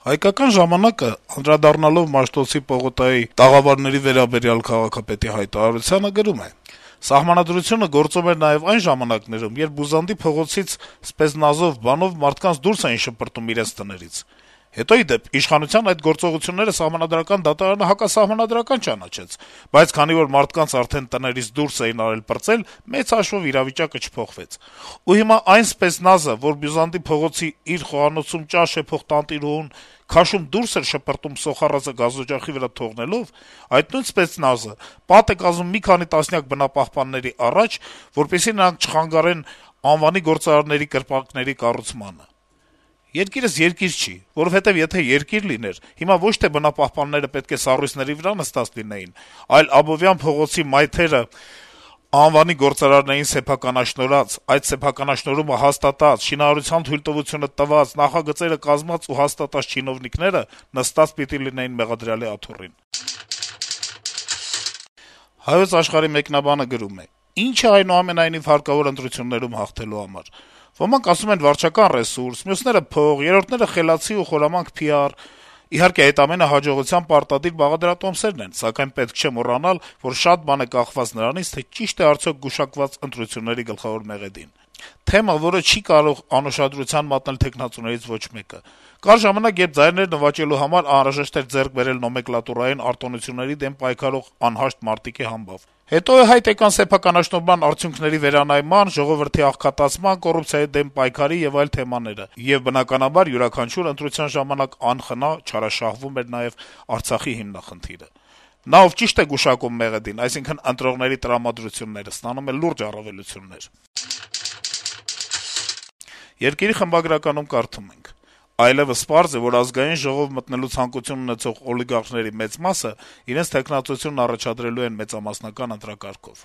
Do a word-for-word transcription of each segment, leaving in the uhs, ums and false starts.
Հայկական ժամանակը, անդրադառնալով Մաշտոցի պողոտայի տաղավարների վերաբերյալ քաղաքապետի հայտարարությանը, գրում է. - «Սահմանադրությունը գործում էր նաեւ այն ժամանակներում, երբ Բուզանդի փողոցից սպեզնազով բանով մարդկանց դուրս էին շպրտում իրենց տներից: Հետո, ի դեպ, իշխանության այդ գործողությունները Սահմանադրական դատարանը հակասահմանադրական ճանաչեց, բայց քանի որ մարդկանց արդեն տներից դուրս էին արել պրծել, մեծ հաշվով իրավիճակը չփոխվեց: Ու հիմա այն սպեծնազը, որ Բյուզանդի փողոցի իր խոհանոցում ճաշ էփող տանտիրուհուն քաշում դուրս էր շպրտում սոխառածը գազօջախի վրա թողնելով, այդ նույն սպեցնազը պատ է կազում մի քանի տասնյակ բնապահպանների առաջ, որպեսզի նրանք չխանգարեն անվանի գործարանների կրպակների կառուցմանը: Երկիրս երկիր չի, որովհետեւ եթե երկիր լիներ, հիմա ոչ թե բնապահպանները պետք է սառույցների վրա նստած լինեին, այլ Աբովյան փողոցի մայթերը անվանի գործարաններին սեփականաշնորհած, այդ սեփականաշնորհումը հաստատած, շինարարության թույլտվությունը տված, նախագծերը կազմած ու հաստատած չինովնիկները նստած պիտի լինեին մեղադրյալի աթոռին»: «Հայոց Աշխարհ»-ի մեկնաբանը գրում է. - «Ինչ է այնուամենայնիվ հարկավոր ընտրություններում հաղթելու համար: Ոմանք ասում են վարչական ռեսուրս, մյուսները` փող, երրորդները` խելացի ու խորամանկ փի ար: Իհարկե, այդ ամենը հաջողության պարտադիր բաղադրատոմսեր են, սակայն պետք չէ մոռանալ, որ շատ բան է կախված նրանից, թե ճիշտ է արդյոք գուշակված ընտրությունների գլխավոր մեղեդին: Թեմա, որը չի կարող անուշադրության մատնել թեկնածուներից ոչ մեկը: Կար ժամանակ, երբ ձայներ նվաճելու համար անհրաժեշտ էր ձեռք բերել նոմենկլատուրային արտոնությունների դեմ պայքարող անհաշտ մարտիկի համբավ: Հետո ի հայտ եկան սեփականաշնորհման արդյունքների վերանայման, ժողովրդի աղքատացման, կոռուպցիայի դեմ պայքարի եւ այլ թեմաները: Եվ, բնականաբար, յուրաքանչյուր ընտրության ժամանակ անխնա չարաշահվում էր նաեւ Արցախի հիմնախնդիրը: Նա, ով ճիշտ է գուշակում մեղեդին, այսինքն ընտրողների տրամադրությունները, ստանում է լուրջ առավելություններ»: «Երկիր»-ի խմբագրականում կարդում ենք. - «Այլեւս պարզ է, որ Ազգային ժողով մտնելու ցանկություն ունեցող օլիգարխների մեծ մասը իրենց թեկնածությունն առաջադրելու են մեծամասնական ընտրակարգով: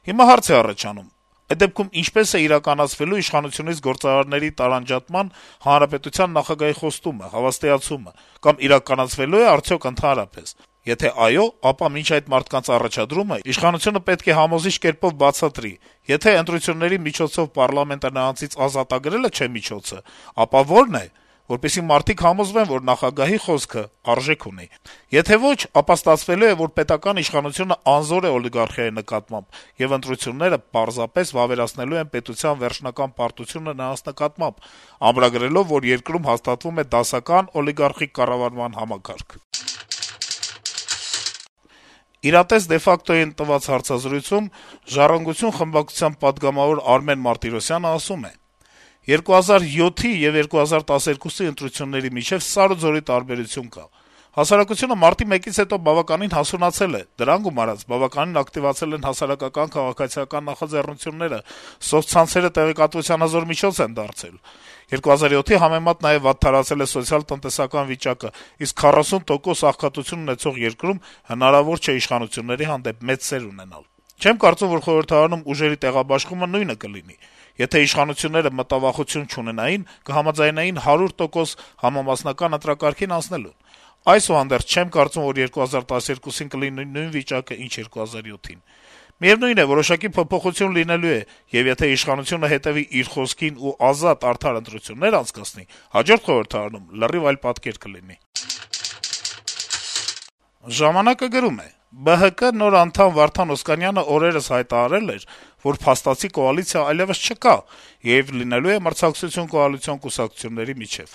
Հիմա հարց է առաջանում. այդ դեպքում ինչպե՞ս է իրականացվելու իշխանությունից գործարարների տարանջատման հանրապետության նախագահի խոստումը, հավաստիացումը, կամ իրականացվելո՞ւ է արդյոք ընդհանրապես: Եթե այո, ապա մինչ այդ մարդկանց առաջադրումը իշխանությունը պետք է համոզիչ կերպով բացատրի: Եթե ընտրությունների միջոցով պառլամենտը նրանցից ազատագրելը չէ միջոցը, ապա ո՞րն է, որպեսզի մարդիկ համոզվեն, որ նախագահի խոսքը արժեք ունի: Եթե ոչ, ապա ստացվելու է, որ պետական իշխանությունը անզոր է օլիգարխիայի նկատմամբ, եւ ընտրությունները պարզապես վավերացնելու են պետության վերջնական պարտությունը նրանց նկատմամբ, ամրագրելով, որ երկրում հաստատվում է դասական օլիգարխիկ կառավարման համակարգ»: «Իրատես de facto»-ին տված հարցազրույցում «Ժառանգություն» խմբակցության պատգամավոր Արմեն Մարտիրոսյանը ասում է. - «երկու հազար յոթի եւ երկու հազար տասներկուսի ընտրությունների միջեւ սար ու ձորի տարբերություն կա: Հասարակությունը մարտի մեկից հետո բավականին հասունացել է, դրան գումարած բավականին ակտիվացել են հասարակական, քաղաքացիական նախաձեռնությունները, սոցցանցերը տեղեկատվության հզոր միջոց են դարձել: երկու հազար յոթի համեմատ նաեւ վատթարացել է սոցիալ-տնտեսական վիճակը, իսկ քառասուն տոկոս աղքատություն ունեցող երկրում հնարավոր չէ իշխանությունների հանդեպ մեծ սեր ունենալ: Չեմ կարծում, որ խորհրդարանում ուժերի տեղաբաշխումը նույնը կլինի: Եթե իշխանությունները մտավախություն չունենային, կհամաձայնեին հարյուր տոկոս համամասնական ընտրակարգին անցնելուն: Այսուհանդերձ, չեմ կարծում, որ երկու հազար տասներկուսին կլինի նույն վիճակը, ինչ երկու հազար յոթին: Միեւնույն է, որոշակի փոփոխություն լինելու է, եւ եթե իշխանությունը հետեւի իր խոսքին ու ազատ, արդար ընտրություններ անցկացնի, հաջորդ խորհրդարանում լրիվ այլ պատկեր կլինի»: «Ժամանակ»-ը գրում է. - «ԲՀԿ նոր անդամ Վարդան Օսկանյանը օրերս հայտարարել էր, որ փաստացի կոալիցիա այլեւս չկա, եւ լինելու է մրցակցություն կոալիցիոն կուսակցությունների միջեւ: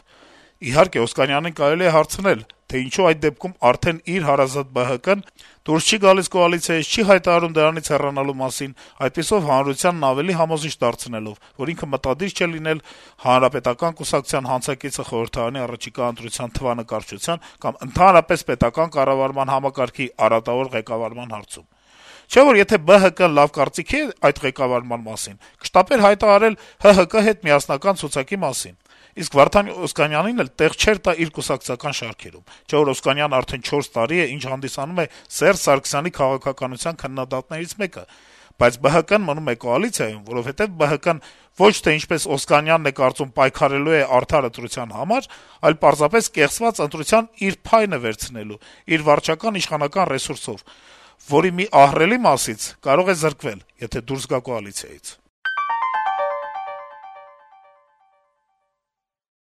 Իհարկե, Օսկանյանին կարելի է հարցնել, թե ինչո՞ւ այդ դեպքում արդեն իր հարազատ ԲՀԿ-ն դուրս չի գալիս կոալիցիայից, չի հայտարարում դրանից հեռանալու մասին, այդպիսով հանրությանն ավելի համոզիչ դարձնելով, որ ինքը մտադիր չէ լինել Հանրապետական կուսակցության հանցակիցը խորհրդարանի առաջիկա ընտրության թվանկարչության կամ ընդհանրապես պետական կառավարման համակարգի արատավոր ղեկավարման հարցում: Չէ՞ որ եթե ԲՀԿ-ն լավ կարծիքի է այդ ղեկավարման մասին, կշտապեր հայտարարել ՀՀԿ հետ միասնական ցուցակի մասին: Իսկ Վարդան Օսկանյանին էլ տեղ չէր տա իր կուսակցական շարքերում: Չէ՞ որ Օսկանյանն արդեն չորս տարի է, ինչ հանդիսանում է Սերժ Սարգսյանի քաղաքականության քննադատներից մեկը: Բայց ԲՀԿ-ն մնում է կոալիցիայում, որովհետեւ ԲՀԿ-ն ոչ թե, ինչպես Օսկանյանն է կարծում, պայքարելու է արդար ընտրության համար, այլ պարզապես կեղծված ընտրության իր փայնը վերցնելու, իր վարչական իշխանական ռեսուրսով, որի մի ահռելի մասից կարող է զրկվել, եթե դուրս գա կոալիցիայից»: